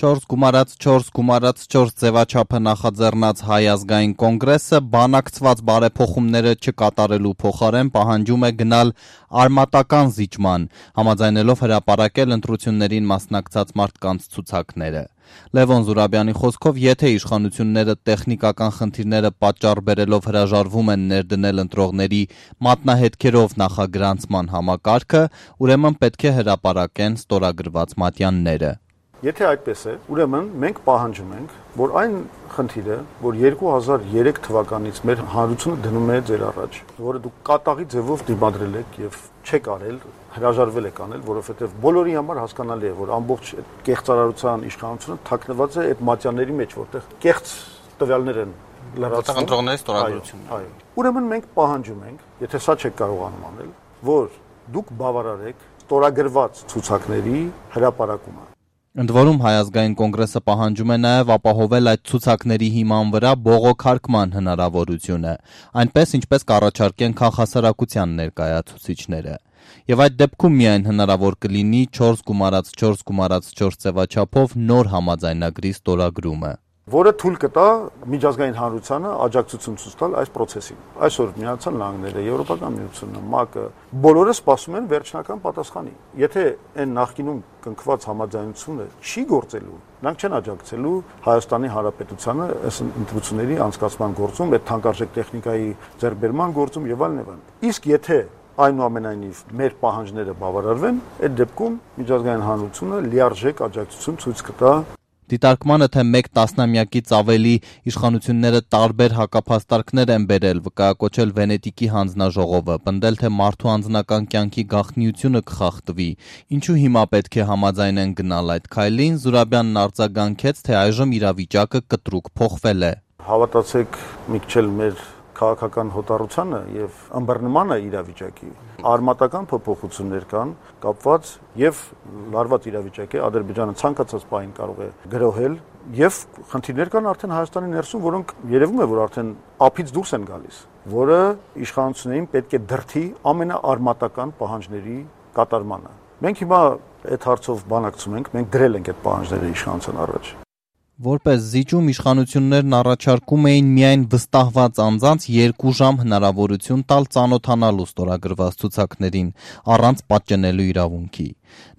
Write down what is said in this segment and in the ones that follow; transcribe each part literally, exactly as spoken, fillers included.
Չորս գումարած չորս գումարած չորս ձևաչափը նախաձեռնած Հայ ազգային կոնգրեսը բանակցված բարեփոխումները չկատարելու փոխարեն պահանջում է գնալ արմատական զիջման, համաձայնելով հրապարակել ընտրություններին մասնակցած մարդկանց ցուցակները։ Լևոն Զուրաբյանի խոսքով, եթե իշխանությունները տեխնիկական խնդիրները պատճառ բերելով հրաժարվում են ներդնել ընտրողների մատնահետքերով նախագրանցման համակարգը, ուրեմն պետք է հրապարակեն ստորագրված մատյանները։ Եթե այդպես է, ուրեմն մենք պահանջում ենք, որ այն խնդիրը, որ երկու հազար երեք թվականից մեր հանրությունը դնում է ձեր առաջ, որը դուք կատաղի ձևով դիմադրել եք եւ չեք արել, հրաժարվել եք անել, որովհետեւ բոլորի համար հասկանալի է, որ ամբողջ կեղծարարության իշխանությունը թաքնված է այդ մատյանների մեջ, որտեղ կեղծ տվյալներ են լրացվում ընտրողների ստորագրությունն։ Այո։ Ուրեմն մենք պահանջում ենք, եթե սա չեք կարողանում անել, որ դուք բավարարեք ստորագրված ցուցակների հրապարակումը։ Ընդ որում Հայ ազգային կոնգրեսը պահանջում է նաև ապահովել այդ ցուցակների հիման վրա բողոքարկման հնարավորությունը, այնպես ինչպես կառաջարկեն քաղաքասարակության ներկայացուցիչները։ Եվ այդ դեպքում միայն հնարավոր կլինի չորս գումարած չորս գումարած չորս ձևաչափով նոր համաձայնագրի ստորագրումը, որը թույլ կտա միջազգային հանրությանը աջակցություն ցույց տալ այս process-ին։ Այսօր Միացյալ Նահանգները, Եվրոպական միությունը, ՄԱԿ-ը բոլորը սպասում են վերջնական պատասխանի։ Եթե այն նախկինում կնքված համաձայնությունը չի գործելու, նրանք չեն աջակցելու Հայաստանի Հանրապետությանը այս ընտրությունների անցկացման գործում, այդ թանկարժեք տեխնիկայի ձեռքբերման գործում եւ այլն եւ այլն։ Իսկ եթե այնուամենայնիվ մեր պահանջները բավարարվեն, այդ դեպքում միջազգային հանրությունը լիարժեք աջակցություն ցույց կտա։ Դիտարկմանը, թե մեկ տասնամյակից ավելի իշխանությունները տարբեր հակափաստարկներ են բերել, վկայակոչել Վենետիկի հանձնաժողովը, պնդել, թե մարդու անձնական կյանքի գաղտնիությունը կխախտվի, ինչու հիմա պետք է համաձայնեն գնալ այդ քայլին, Զուրաբյանն արձագանքեց, թե այժմ իրավիճակը կտրուկ փոխվել է։ Հավատացեք մի քիչ մեր քաղաքական հոտառությանը եւ ըմբռնմանը իրավիճակի արմատական փոփոխություններ կան կապված եւ լարված իրավիճակ է Ադրբեջանը ցանկացած պահին կարող է գրոհել եւ խնդիրներ կան արդեն Հայաստանի ներսում, որոնք երևում է որ արդեն ափից դուրս են գալիս, որը իշխանություններին պետք է դրթի ամենաարմատական պահանջների կատարմանը։ Մենք հիմա այդ հարցով բանակցում ենք, մենք դրել ենք այդ պահանջները իշխանության առաջ։ Որպես զիջում իշխանություններն առաջարկում էին միայն վստահված անձանց երկու ժամ հնարավորություն տալ ծանոթանալու ստորագրված ցուցակներին, առանց պատճենելու իրավունքի։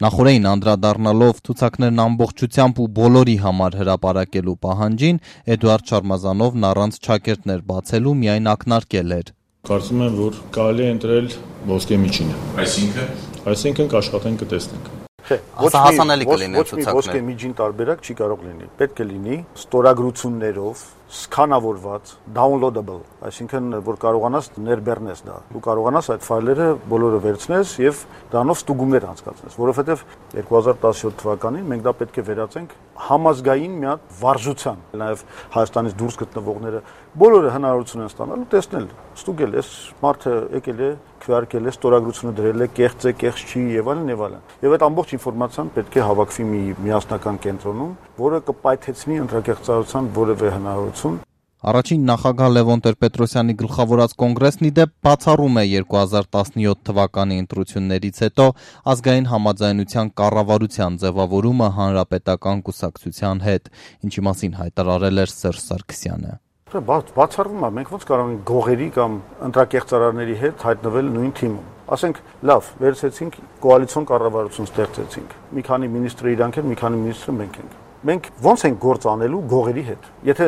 Նախորդին անդրադառնալով ցուցակներն ամբողջությամբ ու բոլորի համար հրապարակելու պահանջին, Էդուարդ Շարմազանովն առանց չակերտներ բացելու միայն ակնարկել էր։ Կարծում եմ, որ կարելի է ընտրել ոսկե միջինը։ Այսինքն, այսինքն կաշխատենք կտեսնենք։ Չէ, հասանելի կլինի ցուցակները։ Ոչ մի ոսկե միջին տարբերակ չի կարող լինի։ Պետք է լինի ստորագրություններով սկանավորված, downloadable, այսինքն որ կարողանաս ներբեռնես դա։ Դու կարողանաս այդ ֆայլերը բոլորը վերցնես եւ դրանով ստուգումներ անցկացնես, որովհետեւ երկու հազար տասնյոթ թվականին մենք դա պետք է վերածենք համազգային մի հատ վարժության, նաեւ Հայաստանից դուրս գտնվողները բոլորը հնարավորություն են ստանալու տեսնել, ստուգել, այս մարդը եկել է, քվեարկել է, ստորագրությունը դրել է, կեղծ է, կեղծ չի եւ այլն եւ այլն։ Եվ այդ ամբողջ ինֆորմացիան պետք է հավաքվի մի միասնական կենտրոնում, որը կպայթեցնի ընտրակեղծարարության որևէ հնարավորություն։ Առաջին նախագահ Լևոն Տեր-Պետրոսյանի գլխավորած կոնգրեսն ի դեպ բացառում է երկու հազար տասնյոթ թվականի ընտրություններից հետո ազգային համաձայնության կառավարության ձևավորումը հանրապետական կուսակցության հետ, ինչի մասին հայտարարել էր Սերժ Սարգսյանը։ Բացառվում է, մենք ոնց կարող ենք գողերի կամ ընտրակեղծարարների հետ հայտնվել նույն թիմում։ Ասենք, լավ, վերցեցինք կոալիցիոն կառավարություն ստեղծեցինք։ Մի քանի մինիստրը իրանք են, մի քանի մինիստրը մենք ենք։ Մենք ոնց ենք գործ անելու գողերի հետ։ Եթե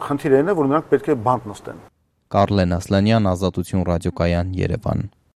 խնդիրն է, որ նրանք պետք է բանտ նստեն։ Կարլեն Ասլանյան, Ազատություն ռադիոկայան, Երևան։